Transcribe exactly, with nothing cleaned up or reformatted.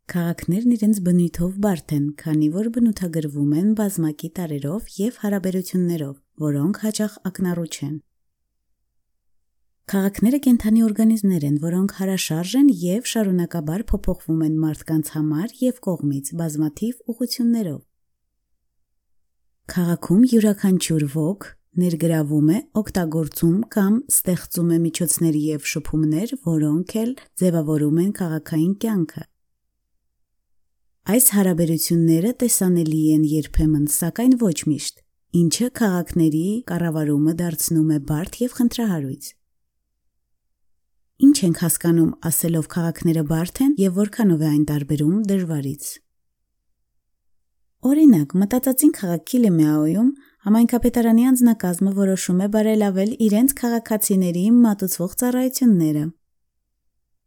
Քաղաքներն իրենց բնույթով բարդ են, քանի որ բնութագրվում են բազմակի տարրերով և հարաբերություններով, որոնք հաճախ ակնառու չեն։ Քաղաքները կենդանի օրգանիզմներ են, որոնք հարաշարժ են և շարունակաբար փոփոխվում են մարդկանց համար և կողմից բազմաթիվ ուղղություններով։ Քաղաքում յուրաքանչյուր ոք ներգրավում է, օգտագործում կամ ստեղծում է միջոցներ և շփումներ, որոնք էլ ձևավորում են քաղաքային կյանքը։ Այս հարաբերությունները տեսանելի են երբեմն, սակայն ոչ միշտ, ինչը քաղաքների կառավարումը դարձնում է բարդ և խնդրահարույց։ Ինչ ենք հասկանում ասելով քաղաքները բարդ են և որքանով է այն տարբերում դժվարից։ Օրինակ, մտածածին քաղաքի Լեմեաոյում համայնքապետարանի անձնակազմը որոշում է բարելավել իրենց քաղաքացիների մատուցվող ծառայությունները։